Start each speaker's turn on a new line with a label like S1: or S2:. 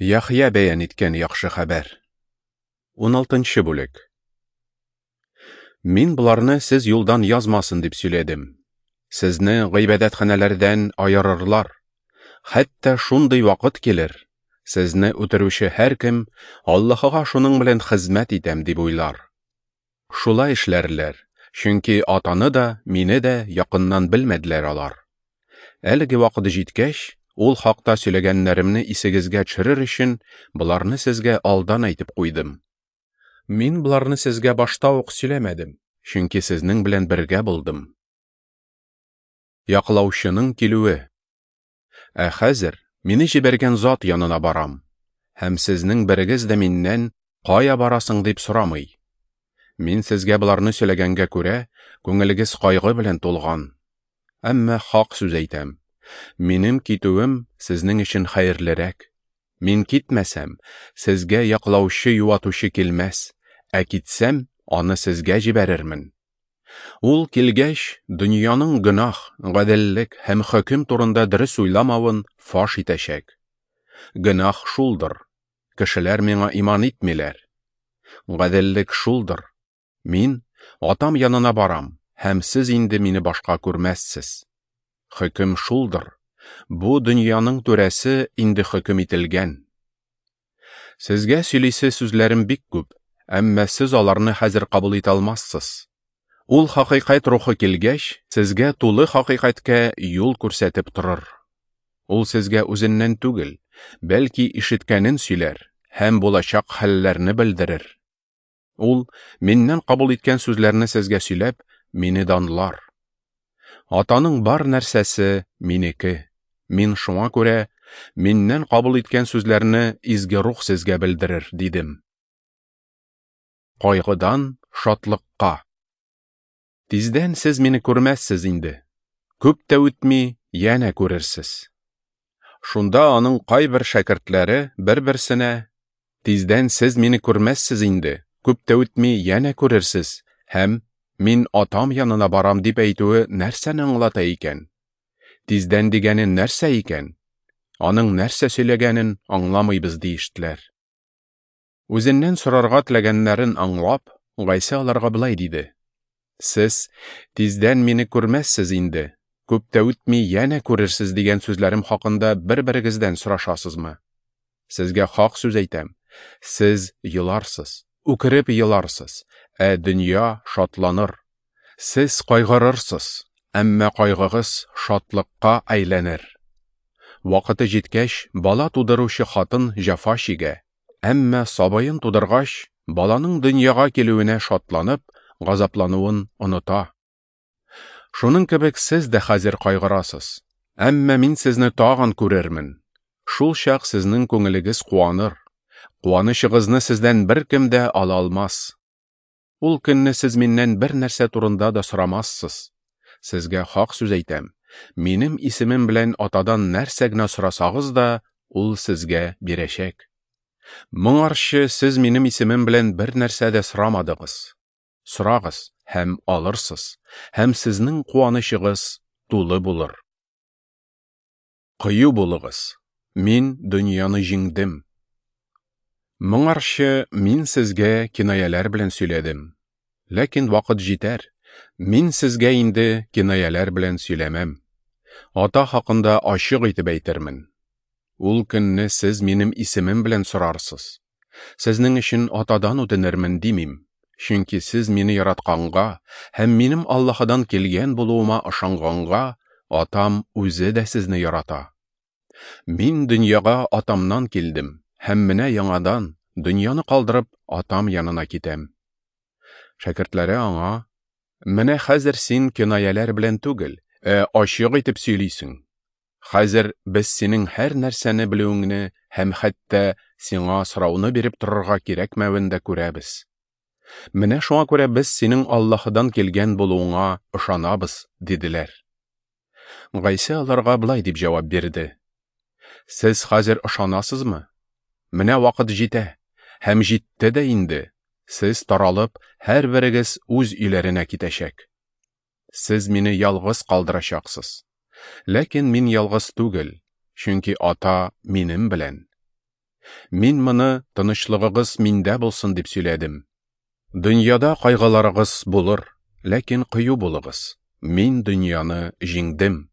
S1: Яхъя бәян иткән яхшы хәбәр. 16 бүлек. Мин боларны сез юлдан язмасын дип сөйләдем. Сезне гыйбадәтханәләрдән аерырлар. Хәтта шундый вакыт килер, сезне үтерүче һәркем Аллаһыга шуның белән хезмәт итәм дип уйлар. Шулай эшләрләр, чөнки Атаны да, мине дә якыннан белмәделәр алар. Әлеге вакыт җиткәч, ул хакта сөйләгәннәремне исегезгә төшерер өчен, боларны сезгә алдан әйтеп куйдым. Мин боларны сезгә башта ук сөйләмәдем, чөнки сезнең белән бергә булдым. Яклаучының килүе. Ә хәзер мине җибәргән зат янына барам, һәм сезнең берегез дә миннән «Кая барасың?» дип сорамый. Мин сезгә боларны сөйләгәнгә күрә, күңелегез кайгы белән тулган. Әмма хак сүз әйтәм. Минем китүем сезнең өчен хәерлерәк. Мин китмәсәм, сезгә яклаучы-юатучы килмәс, ә китсәм, аны сезгә җибәрермен. Ул килгәч, дөньяның гөнаһ, гаделлек һәм хөкем турында дөрес уйламавын фаш итәчәк. Гөнаһ шулдыр: кешеләр миңа иман итмиләр. Гаделлек шулдыр: мин Атам янына барам, һәм сез инде мине башка күрмәссез. Хөкем шулдыр: бу дөньяның түрәсе инде хөкем ителгән. Сезгә сөйлисе сүзләрем бик күп, әмма сез аларны хәзер кабул итә алмассыз. Ул хакыйкать рухы килгәч, сезгә тулы хакыйкатькә юл күрсәтеп торыр. Ул сезгә үзеннән түгел, бәлки ишеткәнен сөйләр һәм булачак хәлләрне белдерер. Ул, миннән кабул иткән сүзләрне сезгә сөйләп, мине данлар. Атаның бар нәрсәсе минеке. Мин шуңа күрә, миннән кабул иткән сүзләрне Изге Рух сезгә белдерер, дидем. Кайгыдан шатлыкка. Тиздән сез мине күрмәссез инде. Күп тә үтми, янә күрерсез. Шунда аның кайбер шәкертләре бер-берсенә: "Тиздән сез мине күрмәссез инде, күп тә үтми, янә күрерсез һәм мин Атам янына барам дип әйтүе нәрсәне аңлата икән? Тиздән дигәне нәрсә икән? Аның нәрсә сөйләгәнен аңламыйбыз", диештеләр. Үзеннән сорарга теләгәннәрен аңлап, Гайсә аларга болай диде: "Сез тиздән мине күрмәссез инде, күп тә үтми янә күрерсез дигән сүзләрем хакында бер-берегездән сорашасызмы? Сезгә хак сүз әйтәм: сез еларсыз, үкереп еларсыз, ә дөнья шатланыр. Сез кайгырырсыз, әмма кайгыгыз шатлыкка әйләнер. Вакыты җиткәч, бала тудыручы хатын җәфа чигә, әмма сабыен тудыргач, баланың дөньяга килүенә шатланып, газаплануын оныта. Шуның кебек сез дә хәзер кайгырасыз, әмма мин сезне тагын күрермен. Шул чак сезнең күңелегез куаныр. Куанычыгызны сездән беркем дә ала алмас. Ул көнне сез миннән бер нәрсә турында да сорамассыз. Сезгә хак сүз әйтәм: минем исемем белән Атадан нәрсә генә сорасагыз да, ул сезгә бирәчәк. Моңарчы сез минем исемем белән бер нәрсә дә сорамадыгыз. Сорагыз һәм алырсыз, һәм сезнең куанычыгыз тулы булыр. Кыю булыгыз, мин дөньяны җиңдем. Моңарчы мин сезгә кинаяләр белән сөйләдем. Ләкин вакыт җитәр, мин сезгә инде кинаяләр белән сөйләмәм. Ата хакында ачык итеп әйтермен. Ул көнне сез минем исемем белән сорарсыз. Сезнең өчен Атадан үтенермен димим, чөнки сез мине яратканга һәм минем Аллаһыдан килгән булуыма ышанганга, Атам үзе дә сезне ярата. Мин дөньяга Атамнан килдем, һәм менә яңадан, дөньяны калдырып, Атам янына китәм. Шәкертләре аңа: "Менә хәзер син кинаяләр белән түгел, ә ачык итеп сөйлисең. Хәзер без синең һәр нәрсәне белүеңне һәм хәтта сиңа сорауны биреп торырга кирәкмәвен дә күрәбез. Менә шуңа күрә без синең Аллаһыдан килгән булуыңа ышанабыз", диделәр. Гайсә аларга болай дип җавап бирде: "Сез хәзер ышанасызмы? Менә вакыт җитә, һәм җитте дә инде. Сез таралып, һәрберегез үз өйләренә китәчәк. Сез мине ялгыз калдырачаксыз. Ләкин мин ялгыз түгел, чөнки Ата минем белән. Мин моны тынычлыгыгыз миндә булсын дип сөйләдем. Дөньяда кайгыларыгыз булыр, ләкин кыю булыгыз. Мин дөньяны җиңдем.